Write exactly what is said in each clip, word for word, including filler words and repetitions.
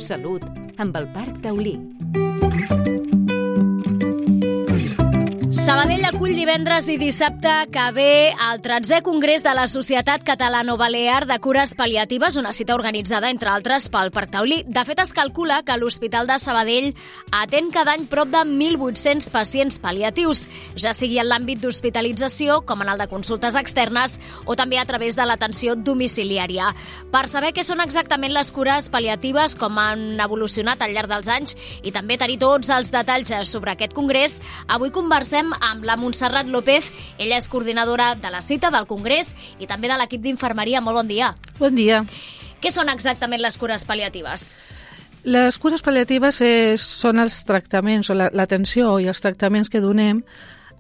Salut, amb el Parc Taulí. Sabadell acull divendres i dissabte que ve el tretzè Congrés de la Societat Catalano-Balear de Cures Pal·liatives, una cita organitzada, entre altres, pel Parc Taulí. De fet, es calcula que l'Hospital de Sabadell atén cada any prop de mil vuit-cents pacients pal·liatius, ja sigui en l'àmbit d'hospitalització, com en el de consultes externes, o també a través de l'atenció domiciliària. Per saber què són exactament les cures pal·liatives, com han evolucionat al llarg dels anys, i també tenir tots els detalls sobre aquest congrés, avui conversem amb la Montserrat López. Ella és coordinadora de la cita, del congrés i també de l'equip d'infermeria. Molt bon dia. Bon dia. Què són exactament les cures pal·liatives? Les cures pal·liatives és, són els tractaments, o l'atenció i els tractaments que donem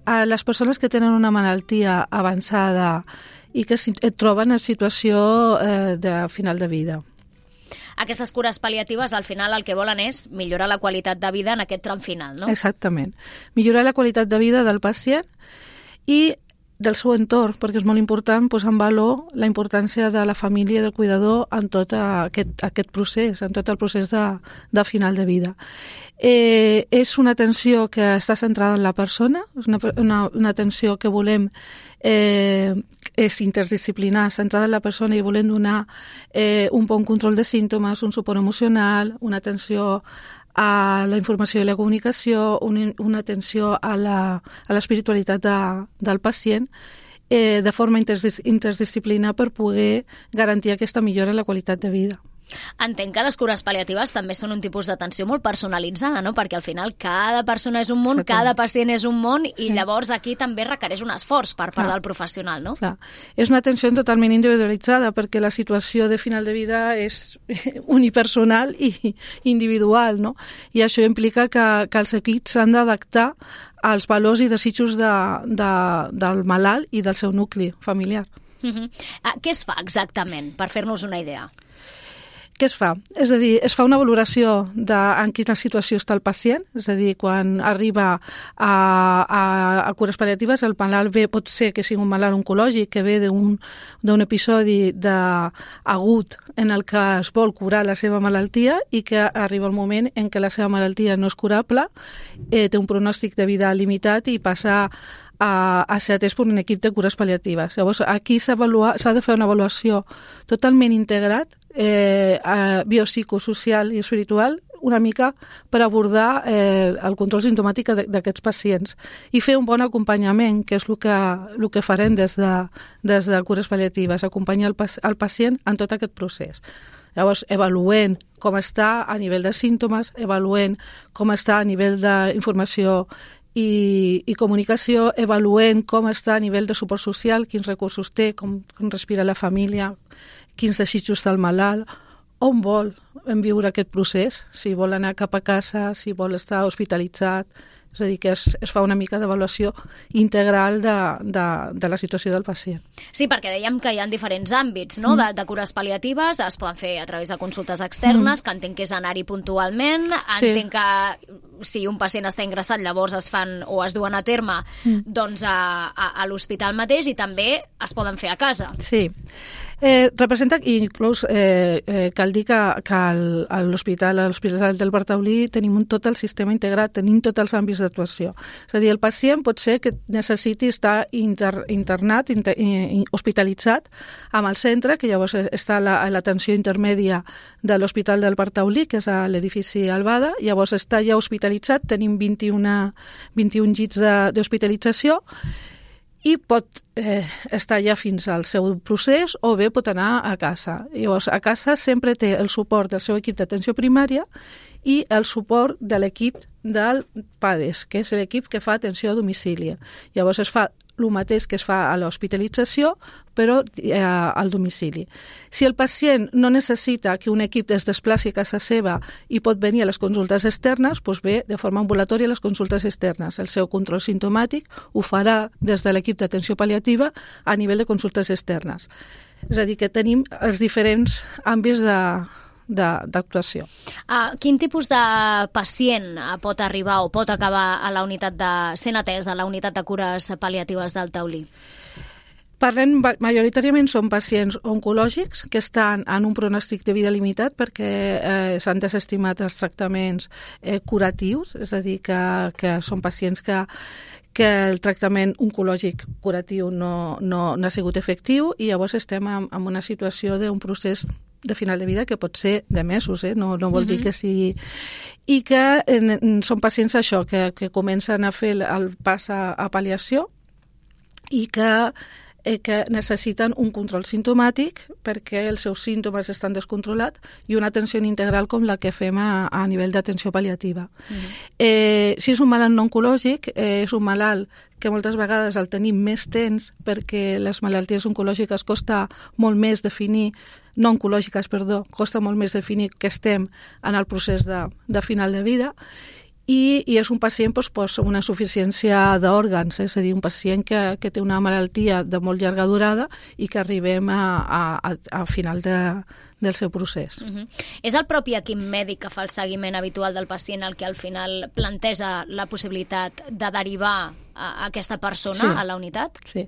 a les persones que tenen una malaltia avançada i que et troben en situació eh, de final de vida. Aquestes cures pal·liatives, al final, el que volen és millorar la qualitat de vida en aquest tram final, no? Exactament. Millorar la qualitat de vida del pacient i del seu entorn, perquè és molt important posar en valor la importància de la família i del cuidador en tot aquest, aquest procés, en tot el procés de, de final de vida. Eh, és una atenció que està centrada en la persona, és una, una, una atenció que volem eh, és interdisciplinar, centrada en la persona, i volem donar eh, un bon control de símptomes, un suport emocional, una atenció a la informació i la comunicació, una, una atenció a la, a l'espiritualitat de, del pacient, eh, de forma interdis, interdisciplinar per poder garantir aquesta millora en la qualitat de vida. Entenc que les cures pal·liatives també són un tipus d'atenció molt personalitzada, no? Perquè al final cada persona és un món, cada pacient és un món, i sí. Llavors aquí també requereix un esforç per part Clar. del professional, no? Clar. És una atenció totalment individualitzada, perquè la situació de final de vida és unipersonal i individual, no? I això implica que, que els equips s'han d'adaptar als valors i desitjos de, de, del malalt i del seu nucli familiar. Uh-huh. uh, què es fa exactament, per fer-nos una idea? Què es fa? És a dir, es fa una valoració de en quina situació està el pacient, és a dir, quan arriba a, a, a cures pal·liatives, el malalt ve, pot ser que sigui un malalt oncològic, que ve d'un, d'un episodi de, agut en el que es vol curar la seva malaltia i que arriba el moment en què la seva malaltia no és curable, eh, té un pronòstic de vida limitat i passa a, a ser atès per un equip de cures pal·liatives. Llavors, aquí s'ha de fer una avaluació totalment integrat, eh, eh, biopsicosocial i espiritual, una mica per abordar eh, el control simptomàtic d'aquests pacients i fer un bon acompanyament, que és el que, el que farem des de, des de cures pal·liatives, acompanyar el, el pacient en tot aquest procés. Llavors, avaluent com està a nivell de símptomes, avaluent com està a nivell d'informació I, i comunicació, avaluent com està a nivell de suport social, quins recursos té, com, com respira la família, quins desitjos té el malalt, on vol viure aquest procés, si vol anar cap a casa, si vol estar hospitalitzat. És a dir, que es, es fa una mica d'avaluació integral de, de, de la situació del pacient. Sí, perquè dèiem que hi ha diferents àmbits, no? Mm. De, de cures pal·liatives, es poden fer a través de consultes externes, mm. que entenc que és anar-hi puntualment, sí. Entenc que si un pacient està ingressat, llavors es fan o es duen a terme mm. doncs a, a, a l'hospital mateix, i també es poden fer a casa. Sí. Eh, representa, i inclús eh, eh, cal dir que, que a l'hospital, a l'Hospital del Parc Taulí tenim un, tot el sistema integrat, tenim tots els àmbits d'actuació. És a dir, el pacient pot ser que necessiti estar inter, internat, inter, in, hospitalitzat amb el centre, que llavors està a l'atenció intermèdia de l'Hospital del Parc Taulí, que és a l'edifici Albada, llavors està ja hospitalitzat, tenim vint-i-un, vint-i-un llits d'hospitalització, i pot eh, estar ja fins al seu procés, o bé pot anar a casa. Llavors, a casa sempre té el suport del seu equip d'atenció primària i el suport de l'equip del PADES, que és l'equip que fa atenció a domicili. Llavors es fa el mateix que es fa a l'hospitalització, però eh, al domicili. Si el pacient no necessita que un equip es desplaci a casa seva i pot venir a les consultes externes, doncs ve de forma ambulatòria a les consultes externes. El seu control simptomàtic ho farà des de l'equip d'atenció pal·liativa a nivell de consultes externes. És a dir, que tenim els diferents àmbits de d'actuació. Uh, quin tipus de pacient pot arribar o pot acabar a la unitat de sent atès a la unitat de cures pal·liatives del Taulí? Parlem, majoritàriament són pacients oncològics que estan en un pronòstic de vida limitat perquè eh, s'han desestimat els tractaments eh, curatius, és a dir, que, que són pacients que, que el tractament oncològic curatiu no, no, no ha sigut efectiu i llavors estem en, en una situació d'un procés de final de vida que pot ser de mesos, eh? no, no vol uh-huh. dir que sigui... I que eh, són pacients això, que, que comencen a fer el, el pas a, a pal·liació i que eh, que necessiten un control simptomàtic perquè els seus símptomes estan descontrolats i una atenció integral com la que fem a, a nivell d'atenció pal·liativa. Mm-hmm. Eh, si és un malalt no oncològic, eh, és un malalt que moltes vegades el tenim més temps perquè les malalties oncològiques costa molt més definir, no oncològiques, perdó, costa molt més definir que estem en el procés de, de final de vida. I, i és un pacient doncs, doncs, una insuficiència d'òrgans, és a dir, un pacient que, que té una malaltia de molt llarga durada i que arribem a, a, a final de, del seu procés. Uh-huh. És el propi equip mèdic que fa el seguiment habitual del pacient el que al final planteja la possibilitat de derivar a aquesta persona sí. a la unitat? Sí.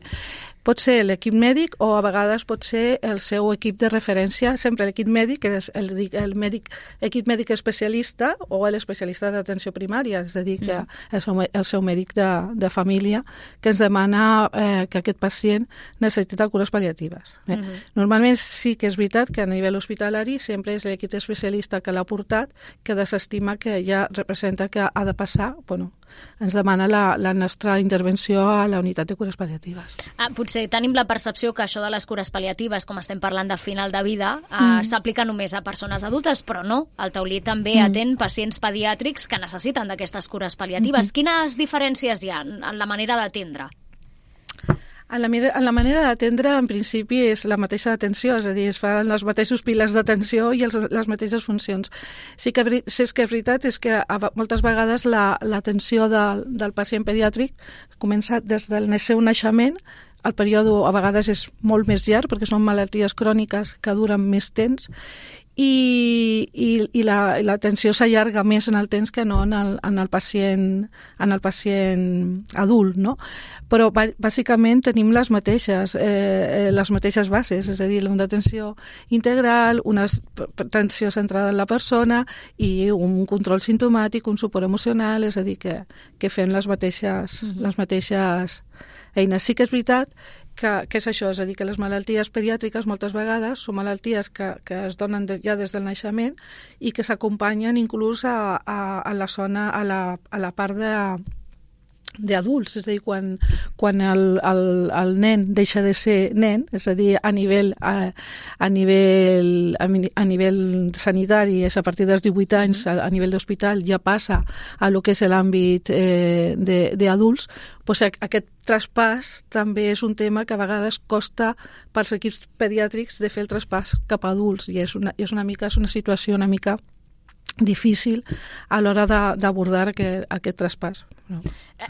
Pot ser l'equip mèdic o a vegades pot ser el seu equip de referència, sempre l'equip mèdic, és el, el mèdic, equip mèdic especialista o l'especialista d'atenció primària, és a dir, que mm. el, seu, el seu mèdic de, de família que ens demana eh, que aquest pacient necessita cures pal·liatives. Eh? Mm-hmm. Normalment sí que és veritat que a nivell hospitalari sempre és l'equip especialista que l'ha portat que desestima que ja representa que ha de passar, bueno, ens demana la, la nostra intervenció a la unitat de cures pal·liatives. Ah, potser tenim la percepció que això de les cures pal·liatives, com estem parlant de final de vida, mm. eh, s'aplica només a persones adultes, però no. El taulí també mm. atén pacients pediàtrics que necessiten d'aquestes cures pal·liatives. Mm-hmm. Quines diferències hi ha en la manera d'atendre? En la, en la manera d'atendre, en principi, és la mateixa atenció, és a dir, es fan els mateixos piles d'atenció i els, les mateixes funcions. Sí que, sí que és veritat és que a, moltes vegades l'atenció la, de, del pacient pediàtric comença des del seu naixement. El període a vegades és molt més llarg perquè són malalties cròniques que duren més temps i, i, i l'atenció la, s'allarga més en el temps que no en el, en el pacient en el pacient adult, no? Però bàsicament tenim les mateixes eh, les mateixes bases, és a dir, una atenció integral, una atenció centrada en la persona i un control simptomàtic, un suport emocional, és a dir, que, que fem les mateixes, mm-hmm. les mateixes eines. Sí que és veritat que, que és això, és a dir, que les malalties pediàtriques moltes vegades són malalties que, que es donen de, ja des del naixement i que s'acompanyen inclús a, a, a la zona, a la, a la part de d'adults, és a dir, quan, quan el, el, el nen deixa de ser nen, és a dir, a nivell, a, a nivell, a nivell sanitari, és a partir dels divuit anys, a, a nivell d'hospital, ja passa a lo que és l'àmbit eh, d'adults, doncs aquest traspàs també és un tema que a vegades costa pels equips pediàtrics de fer el traspàs cap a adults i és una, és una mica, és una situació una mica difícil a l'hora d'abordar aquest, aquest traspàs. No.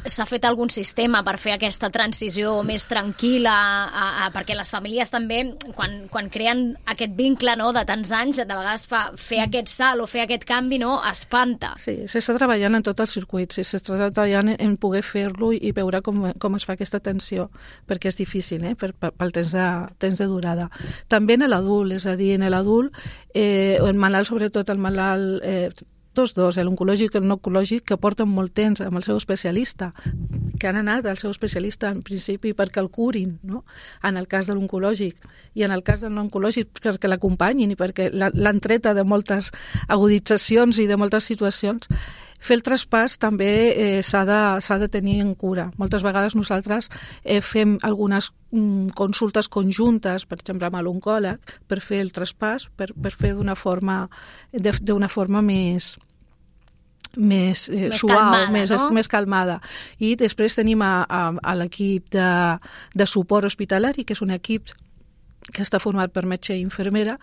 S'ha fet algun sistema per fer aquesta transició més tranquil·la, a, a, perquè les famílies també, quan, quan creen aquest vincle, no, de tants anys, de vegades fa, fer aquest salt o fer aquest canvi, no, espanta. Sí, s'està treballant en tot el circuit, s'està treballant en poder fer-lo i veure com, com es fa aquesta atenció, perquè és difícil, eh, per, per, pel temps de, temps de durada. També en l'adult, és a dir, en l'adult, eh, o en malalt, sobretot el malalt eh, tots dos, l'oncològic i el no oncològic, que porten molt temps amb el seu especialista, que han anat al seu especialista en principi perquè el curin, no? En el cas de l'oncològic, i en el cas del no oncològic perquè l'acompanyin i perquè l'han treta de moltes aguditzacions i de moltes situacions. Fer el traspàs també eh, s'ha de, s'ha de tenir en cura. Moltes vegades nosaltres eh, fem algunes mm, consultes conjuntes, per exemple amb l'oncòleg, per fer el traspàs, per, per fer d'una forma, d'una forma més més, eh, més suau, calmada, més, no? més calmada. I després tenim a, a, a l'equip de, de suport hospitalari, que és un equip que està format per metge i infermera,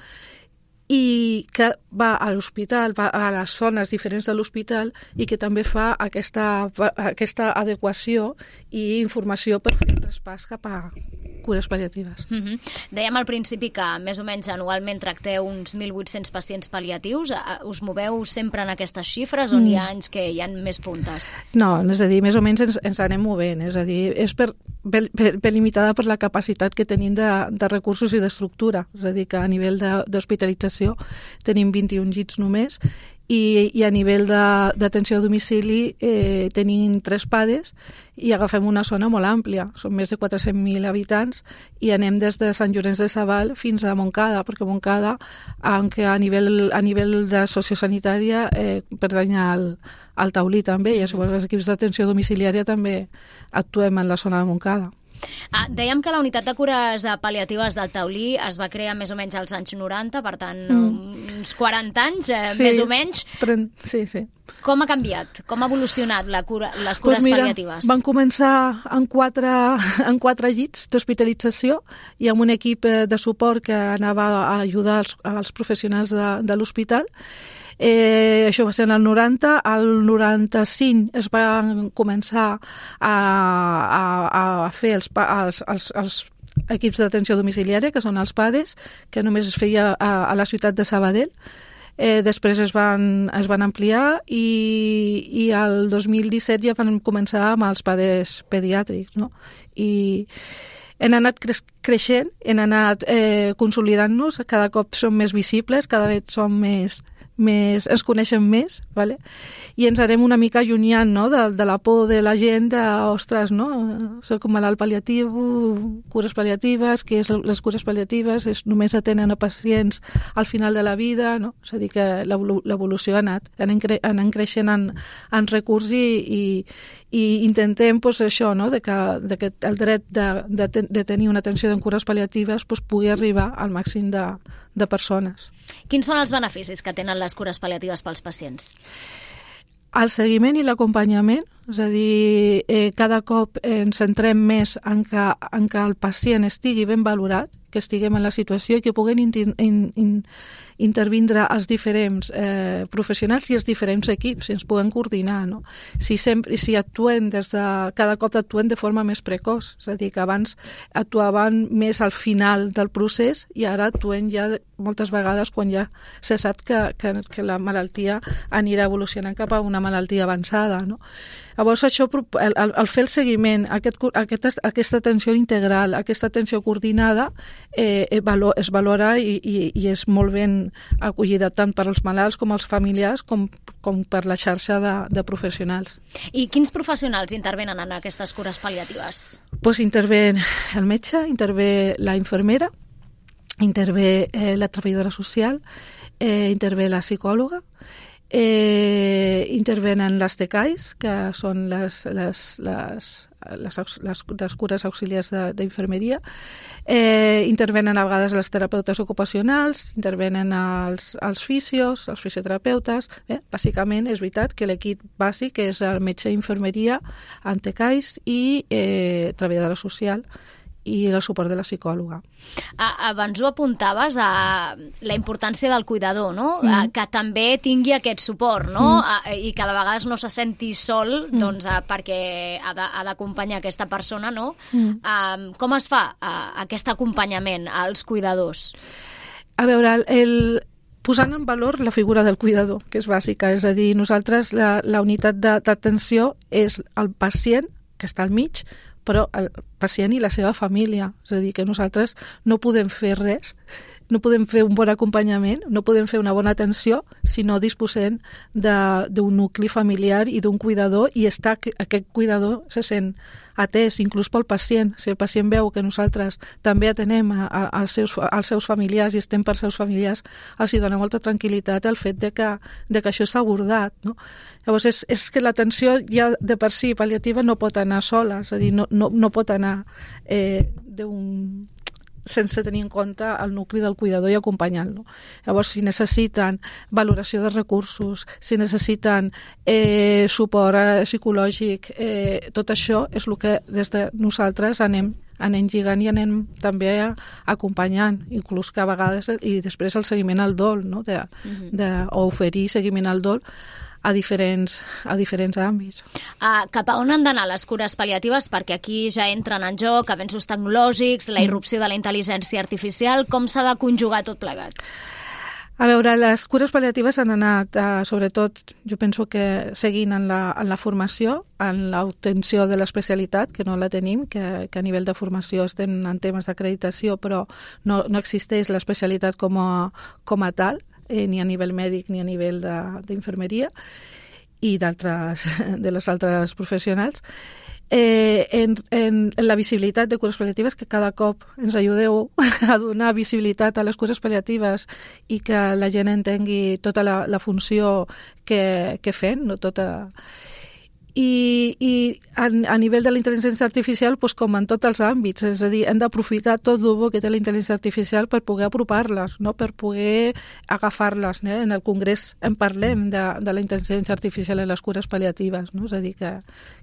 i que va a l'hospital, va a les zones diferents de l'hospital i que també fa aquesta, aquesta adequació i informació per fer el traspàs cap a cures pal·liatives. Mm-hmm. Dèiem al principi que més o menys anualment tracteu uns mil vuit-cents pacients pal·liatius. Us moveu sempre en aquestes xifres o mm. hi ha anys que hi ha més puntes? No, és a dir, més o menys ens, ens anem movent. És a dir, és per, ben, ben, ben limitada per la capacitat que tenim de, de recursos i d'estructura. És a dir, que a nivell d'hospitalització tenim vint-i-un llits només i, i a nivell d'atenció a domicili eh, tenim tres P A D Es i agafem una zona molt àmplia. Són més de quatre-cents mil habitants i anem des de Sant Llorenç de Savall fins a Montcada, perquè Montcada, aunque a nivell, a nivell de sociosanitària eh, pertany al, al Taulí també, i llavors els equips d'atenció domiciliària també actuem en la zona de Montcada. Ah, dèiem que la unitat de cures pal·liatives del Taulí es va crear més o menys als anys noranta, per tant, mm. uns quaranta anys, eh, sí, més o menys. trenta, sí, sí. Com ha canviat? Com ha evolucionat la cura, les cures pues mira, pal·liatives? Van començar en quatre, en quatre llits d'hospitalització i amb un equip de suport que anava a ajudar els, els professionals de, de l'hospital. Eh, això va ser en el noranta, al noranta-cinc es van començar a, a, a fer els, els, els, els equips d'atenció domiciliària, que són els P A D Es, que només es feia a, a la ciutat de Sabadell. Eh, després es van, es van ampliar i, i el dos mil disset ja van començar amb els P A D Es pediàtrics, no? I hem anat cre creixent, hem anat eh, consolidant-nos, cada cop som més visibles, cada vegada som més... més, ens coneixen més, vale? I ens harem una mica allunyant, no? de, de la por de la gent de, ostres, no? Soc un malalt pal·liatiu, cures pal·liatives, què és les cures pal·liatives? És, només atenen a pacients al final de la vida, no? És a dir, que l'evolució ha anat, anem, cre anem creixent en, en recurs i, i, i intentem pues, això, no? de, que, de que el dret de, de, de tenir una atenció en cures pal·liatives pues, pugui arribar al màxim de, de persones. Quins són els beneficis que tenen les cures pal·liatives pels pacients? El seguiment i l'acompanyament, és a dir, eh, cada cop ens centrem més en que, en que el pacient estigui ben valorat, que estiguem en la situació i que puguin in, in, in, intervindre els diferents eh, professionals i els diferents equips, i ens puguem coordinar, no? Si, sempre, si actuem des de... Cada cop actuem de forma més precoç, és a dir, que abans actuaven més al final del procés i ara actuem ja moltes vegades quan ja se sap que, que, que la malaltia anirà evolucionant cap a una malaltia avançada, no? Llavors, això, el, el fer el seguiment, aquest, aquest, aquesta atenció integral, aquesta atenció coordinada, eh, es valora i, i, i és molt ben acollida tant per als malalts com als familiars com, com per la xarxa de, de professionals. I quins professionals intervenen en aquestes cures pal·liatives? Pues intervé el metge, intervé la infermera, intervé eh, la treballadora social, eh, intervé la psicòloga, Eh, intervenen les T C A Is, que són les, les, les, les, les, les cures auxiliars d'infermeria, eh, intervenen a vegades les terapeutes ocupacionals, intervenen els, els fisios, els fisioterapeutes. Eh? Bàsicament és veritat que l'equip bàsic és el metge d'infermeria, en T C A Is i eh, treballadora social i el suport de la psicòloga. Abans ho apuntaves, a la importància del cuidador, no? Mm. Que també tingui aquest suport, no? Mm. I que de vegades no se senti sol, mm. doncs, perquè ha d'acompanyar aquesta persona, no? Mm. Com es fa aquest acompanyament als cuidadors? A veure, el... posant en valor la figura del cuidador, que és bàsica, és a dir, nosaltres la, la unitat d'atenció és el pacient, que està al mig, però el pacient i la seva família. És a dir, que nosaltres no podem fer res, no podem fer un bon acompanyament, no podem fer una bona atenció si no disposem d'un nucli familiar i d'un cuidador, i està, aquest cuidador se sent atès, inclús pel pacient. Si el pacient veu que nosaltres també atenem a, a, als, seus, als seus familiars i estem per seus familiars, els hi dona molta tranquil·litat el fet de que, de que això s'ha abordat, no? Llavors, és, és que l'atenció ja de per si pal·liativa no pot anar sola, és a dir, no, no, no pot anar eh, d'un... sense tenir en compte el nucli del cuidador i acompanyant-lo. Llavors, si necessiten valoració de recursos, si necessiten eh, suport eh, psicològic, eh, tot això és el que des de nosaltres anem, anem lligant i anem també acompanyant, inclús que a vegades, i després el seguiment al dol, no? de, de, o oferir seguiment al dol a diferents, a diferents àmbits. Uh, cap a on han d'anar les cures pal·liatives? Perquè aquí ja entren en joc avenços tecnològics, la irrupció de la intel·ligència artificial. Com s'ha de conjugar tot plegat? A veure, les cures pal·liatives han anat, eh, sobretot, jo penso que seguint en la, en la formació, en l'obtenció de l'especialitat, que no la tenim, que, que a nivell de formació estem en temes d'acreditació, però no, no existeix l'especialitat com a, com a tal, eh, ni a nivell mèdic ni a nivell d'infermeria i d'altres de les altres professionals. Eh, en, en, en la visibilitat de cures pal·liatives, que cada cop ens ajudeu a donar visibilitat a les cures pal·liatives i que la gent entengui tota la, la funció que, que fem, no? Tota... I, i a, a nivell de la intel·ligència artificial, doncs, com en tots els àmbits, és a dir, hem d'aprofitar tot el bo que té la intel·ligència artificial per poder apropar-les, no? Per poder agafar-les. No? En el Congrés en parlem de, de la intel·ligència artificial en les cures pal·liatives, no? És a dir, que,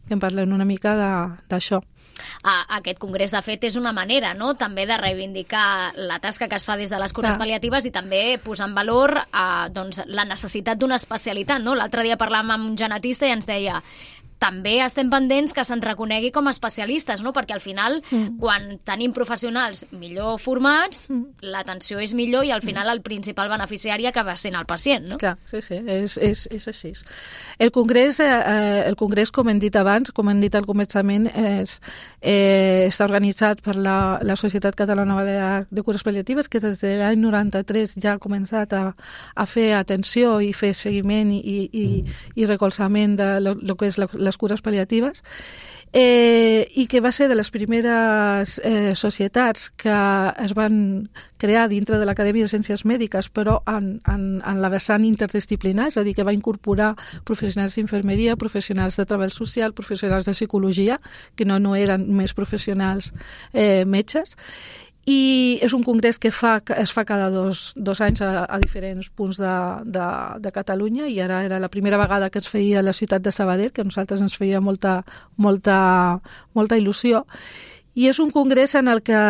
que en parlem una mica d'això. Aquest congrés, de fet, és una manera, no?, també de reivindicar la tasca que es fa des de les cures pal·liatives i també posar en valor eh, doncs, la necessitat d'una especialitat, no? L'altre dia parlàvem amb un genetista i ens deia també estem pendents que se'n reconegui com a especialistes, no? Perquè al final, mm. quan tenim professionals millor formats, mm. l'atenció és millor i al final el principal beneficiari acaba sent el pacient, no? Clar, sí, sí, és, és, és així. El congrés, eh, el congrés, com hem dit abans, com hem dit al començament, és, eh, està organitzat per la, la Societat Catalana Balear de Cures Pal·liatives, que des de l'any noranta-tres ja ha començat a, a fer atenció i fer seguiment i, i, i recolzament de lo, lo que és la, les cures pal·liatives, eh, i que va ser de les primeres eh, societats que es van crear dintre de l'Acadèmia de Ciències Mèdiques, però en, en, en la vessant interdisciplinar, és a dir, que va incorporar professionals d'infermeria, professionals de treball social, professionals de psicologia, que no, no eren només professionals eh, metges, i és un congrés que fa, es fa cada dos, dos anys a, a diferents punts de, de, de Catalunya, i ara era la primera vegada que es feia a la ciutat de Sabadell, que a nosaltres ens feia molta, molta, molta il·lusió. I és un congrés en el que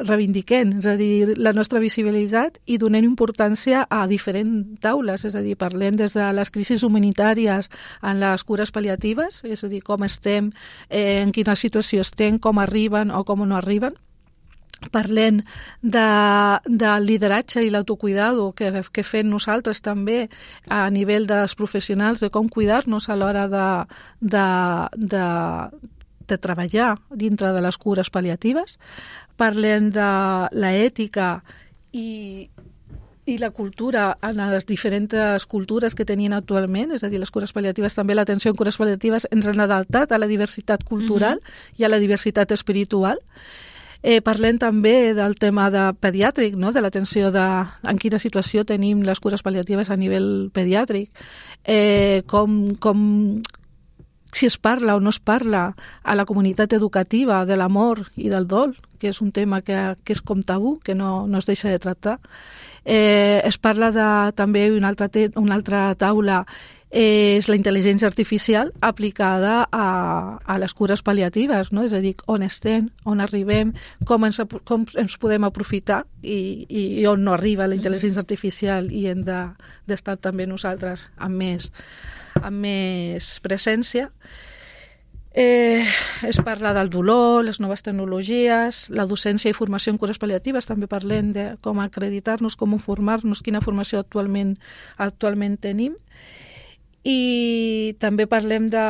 reivindiquem, és a dir, la nostra visibilitat i donem importància a diferents taules, és a dir, parlem des de les crisis humanitàries en les cures pal·liatives, és a dir, com estem, eh, en quina situació estem, com arriben o com no arriben. Parlem de, del lideratge i l'autocuidado que, que fem nosaltres també a nivell dels professionals, de com cuidar-nos a l'hora de, de, de, de treballar dintre de les cures pal·liatives. Parlem de l'ètica i, i la cultura en les diferents cultures que tenien actualment, és a dir, les cures pal·liatives, també l'atenció en cures pal·liatives ens han adaptat a la diversitat cultural mm-hmm. i a la diversitat espiritual. Eh, parlem també del tema de pediàtric, no? De l'atenció de en quina situació tenim les cures pal·liatives a nivell pediàtric, eh, com, com si es parla o no es parla a la comunitat educativa de l'amor i del dol, que és un tema que, que és com tabú, que no, no es deixa de tractar. Eh, es parla de, també una altra, te, una altra taula és la intel·ligència artificial aplicada a, a les cures pal·liatives, no? És a dir, on estem, on arribem, com ens, com ens podem aprofitar i, i on no arriba la intel·ligència artificial i hem de, d'estar també nosaltres amb més, amb més presència. Eh, es parla del dolor, les noves tecnologies, la docència i formació en cures pal·liatives, també parlem de com acreditar-nos, com formar-nos, quina formació actualment, actualment tenim. I també parlem de,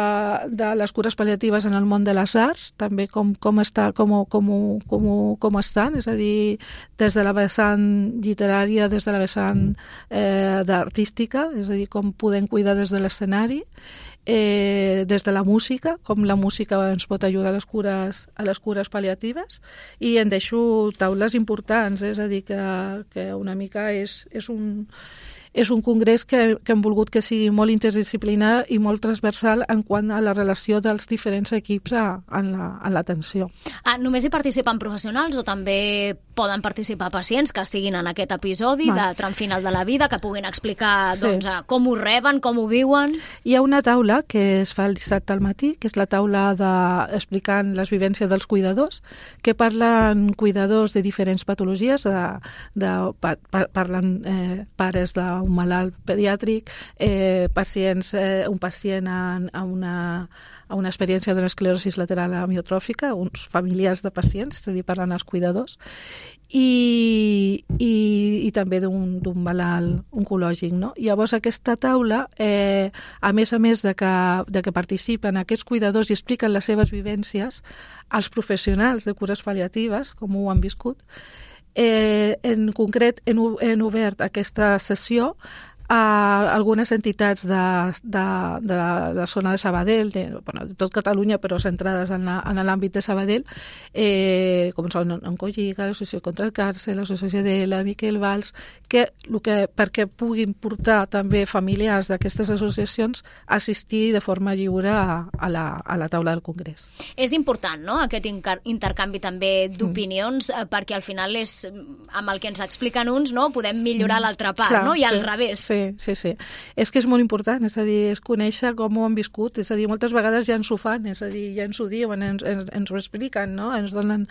de les cures pal·liatives en el món de les arts, també com, com, està, com, com, com, com estan, és a dir, des de la vessant literària, des de la vessant eh, d'artística, és a dir, com podem cuidar des de l'escenari, eh, des de la música, com la música ens pot ajudar a les cures, a les cures pal·liatives, i en deixo taules importants, és a dir, que, que una mica és, és un... És un congrés que, que hem volgut que sigui molt interdisciplinar i molt transversal en quant a la relació dels diferents equips a, en l'atenció. Ah, només hi participen professionals o també poden participar pacients que estiguin en aquest episodi Val. de tram final de la vida, que puguin explicar sí. doncs, com ho reben, com ho viuen? Hi ha una taula que es fa el dissabte al matí, que és la taula de, explicant les vivències dels cuidadors, que parlen cuidadors de diferents patologies, de, de, parlen eh, pares de un malalt pediàtric, eh, pacients, eh, un pacient en, en una a una experiència d'una esclerosi lateral amiotròfica, uns familiars de pacients, és a dir, parlant als cuidadors, i, i, i també d'un malalt oncològic. No? Llavors, aquesta taula, eh, a més a més de que, de que participen aquests cuidadors i expliquen les seves vivències als professionals de cures pal·liatives, com ho han viscut, eh, en concret hem, hem obert aquesta sessió a algunes entitats de, de, de la zona de Sabadell, de, bueno, de tot Catalunya, però centrades en l'àmbit de Sabadell, eh, com són Oncolliga, l'Associació contra el Càncer, l'Associació de la Miquel Valls, que, que perquè puguin portar també familiars d'aquestes associacions a assistir de forma lliure a, a, la, a la taula del Congrés. És important, no?, aquest intercanvi també d'opinions, mm. perquè al final és amb el que ens expliquen uns, no?, podem millorar mm. l'altra part, Clar, no?, i al sí. revés. Sí. Sí, sí, sí. És que és molt important, és a dir, és conèixer com ho han viscut, és a dir, moltes vegades ja ens ho fan, és a dir, ja ens ho diuen, ens, ens, ens ho expliquen, no? Ens donen...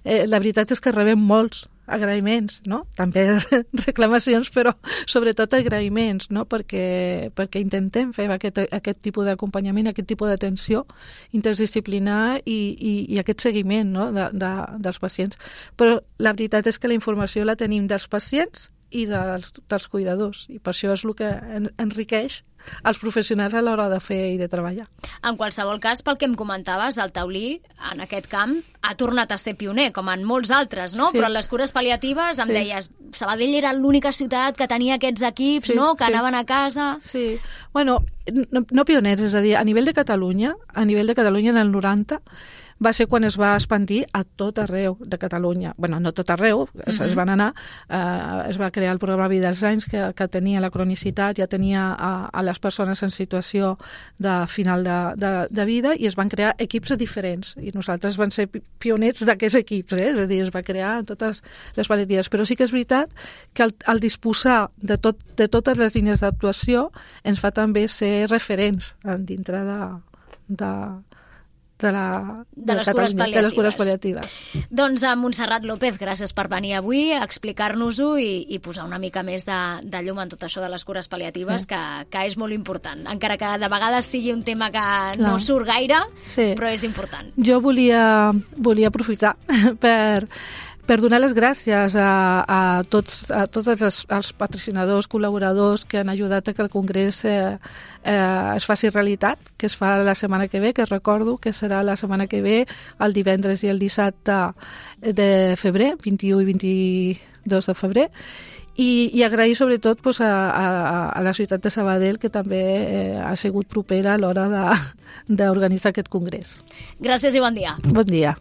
Eh, la veritat és que rebem molts agraïments, no? També reclamacions, però sobretot agraïments, no? Perquè, perquè intentem fer aquest, aquest tipus d'acompanyament, aquest tipus d'atenció interdisciplinar i, i, i aquest seguiment, no? de, de, dels pacients. Però la veritat és que la informació la tenim dels pacients i dels, dels cuidadors, i per això és el que en, enriqueix els professionals a l'hora de fer i de treballar. En qualsevol cas, pel que em comentaves, el Taulí, en aquest camp, ha tornat a ser pioner, com en molts altres, no? Sí. Però en les cures pal·liatives, em sí. deies, Sabadell era l'única ciutat que tenia aquests equips, sí, no?, que sí. anaven a casa... Sí, bueno, no, no pioners, és a dir, a nivell de Catalunya, a nivell de Catalunya en el noranta, va ser quan es va expandir a tot arreu de Catalunya. Bueno, no tot arreu, uh-huh. es, es van anar, eh, es va crear el programa Vida als anys, que, que tenia la cronicitat, ja tenia a, a les persones en situació de final de, de, de vida, i es van crear equips diferents, i nosaltres vam ser pioners d'aquests equips, eh? És a dir, es va crear en totes les pal·liatives. Però sí que és veritat que el, el disposar de, tot, de totes les línies d'actuació ens fa també ser referents dintre de... de de, la, de, de, les cures de les cures pal·liatives. Doncs a Montserrat López, gràcies per venir avui a explicar-nos-ho i, i posar una mica més de, de llum en tot això de les cures pal·liatives, sí. que, que és molt important. Encara que de vegades sigui un tema que no, no surt gaire, sí. però és important. Jo volia, volia aprofitar per... per donar les gràcies a, a tots, a tots els, els patrocinadors, col·laboradors que han ajudat a que el Congrés eh, eh, es faci realitat, que es fa la setmana que ve, que recordo que serà la setmana que ve, el divendres i el dissabte de febrer, vint-i-u i vint-i-dos de febrer, i, i agrair sobretot pues, a, a, a la ciutat de Sabadell, que també eh, ha sigut propera a l'hora d'organitzar aquest Congrés. Gràcies i bon dia. Bon dia.